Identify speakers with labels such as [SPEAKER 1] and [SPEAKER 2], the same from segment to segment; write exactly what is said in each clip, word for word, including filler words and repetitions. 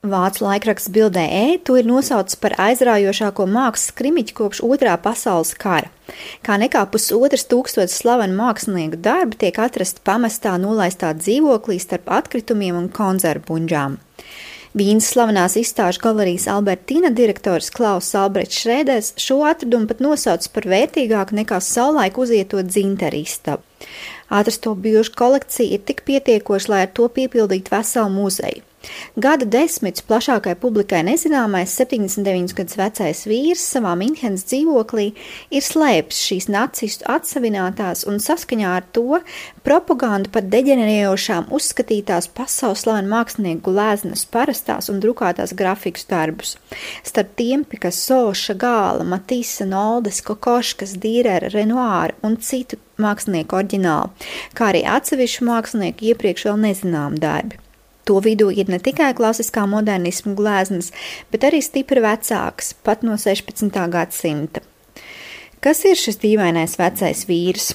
[SPEAKER 1] Vācu laikraksts Bild.de to ir nosaucis par aizraujošāko mākslas krimiķu kopš Otrā pasaules kara. Kā nekā pusotras tūkstotis slavenu mākslinieku darbi tiek atrasti pamestā nolaistā dzīvoklī starp atkritumiem un konzervu buņģām. Vīnas slavenās izstāžu galerijas Albertina direktors Klauss Albrechts Šrēders šo atradumu pat nosauc par vērtīgāku nekā savulaik uzietot dzinteru istabu. Atrasto bilžu kolekcija ir tik pietiekoša, lai ar to piepildītu veselu muzeju. Gadu desmitus plašākai publikai nezināmais septiņdesmit deviņus gadus vecais vīrs savā Minhenes dzīvoklī ir slēpis šīs nacistu atsavinātās un saskaņā ar to propagandu par deģenerējošām uzskatītās pasaules slavenu mākslinieku gleznas parastās un drukātās grafikas darbus. Starp tiem Picasso, Chagala, Matisse, Noldes, Kokoškas, Dürera, Renoira un citu mākslinieku oriģinālu, kā arī atsevišķu mākslinieku iepriekš vēl nezinām darbi. To vidū ir ne tikai klasiskā modernisma gleznas, bet arī stipri vecāks, pat no sešpadsmitā gadsimta. Kas ir šis dīvainais vecais vīrs?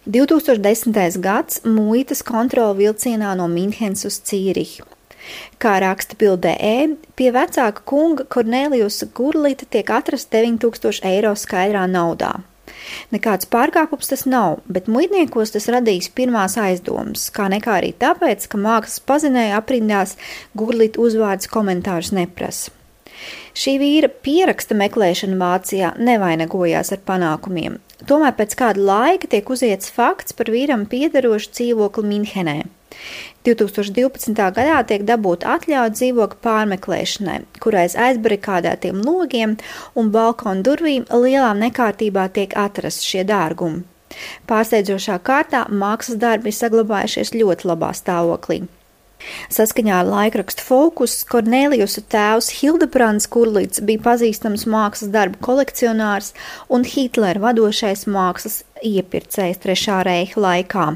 [SPEAKER 1] divtūkstoš desmitais gads muitas kontrola vilcienā no Minhenes uz Cīrihi. Kā raksta Bild.de, pie vecāka kunga Korneliusa Gurlita tiek atrast deviņi tūkstoši eiro skaidrā naudā. Nekāds pārkāpums tas nav, bet muitniekos tas radīs pirmās aizdomas, kā nekā arī tāpēc, ka mākslas pazinēja aprindās Gurlita uzvārds komentārus neprasa. Šī vīra pieraksta meklēšana Vācijā nevainagojās ar panākumiem. Tomēr pēc kāda laika tiek uziets fakts par vīram piederošu dzīvokli Minhenē. divtūkstoš divpadsmitā gadā tiek dabūta atļauja dzīvokļa pārmeklēšanai, kurais aizbarikādētiem logiem un balkonu durvīm lielā nekārtībā tiek atrasti šie dārgumi. Pārsteidzošā kārtā mākslas darbi ir saglabājušies ļoti labā stāvoklī. Saskaņā ar laikrakstu Fokus, Korneliusa tēvs Hildebrands Gurlits bija pazīstams mākslas darbu kolekcionārs un Hitlera vadošais mākslas iepircējs Trešā reiha laikā.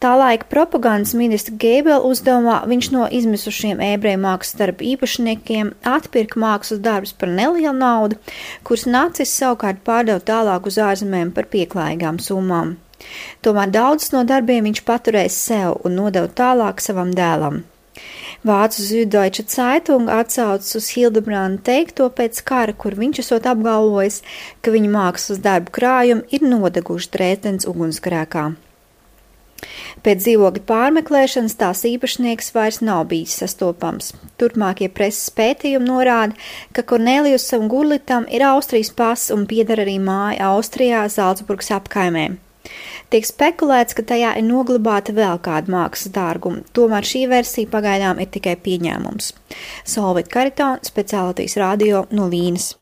[SPEAKER 1] Tā laika propagandas ministra Gēbela uzdevumā viņš no izmisušiem ebreju mākslas darbu īpašniekiem atpirka mākslas darbus par nelielu naudu, kuras nacisti savukārt pārdeva tālāk uz ārzemēm par pieklājīgām summām. Tomēr daudzus no darbiem viņš paturēja sev un nodeva tālāk savam dēlam. Vācu Süddeutsche Zeitung atsaucas uz Hildebranda teikto pēc kara, kur viņš esot apgalvojis, ka viņa mākslas darbu krājumi ir nodeguši Dresdenes ugunsgrēkā. Pēc dzīvokļa pārmeklēšanas tās īpašnieks vairs nav bijis sastopams. Turpmākie preses pētījumi norāda, ka Korneliusam Gurlitam ir Austrijas pasa un pieder arī māja Austrijā Zalcburgas apkaimē. Tiek spekulēts, ka tajā ir noglabāta vēl kāda mākslas dārguma, tomēr šī versija pagaidām ir tikai pieņēmums. Solvit Kariton, Speciālities radio no Vīnes.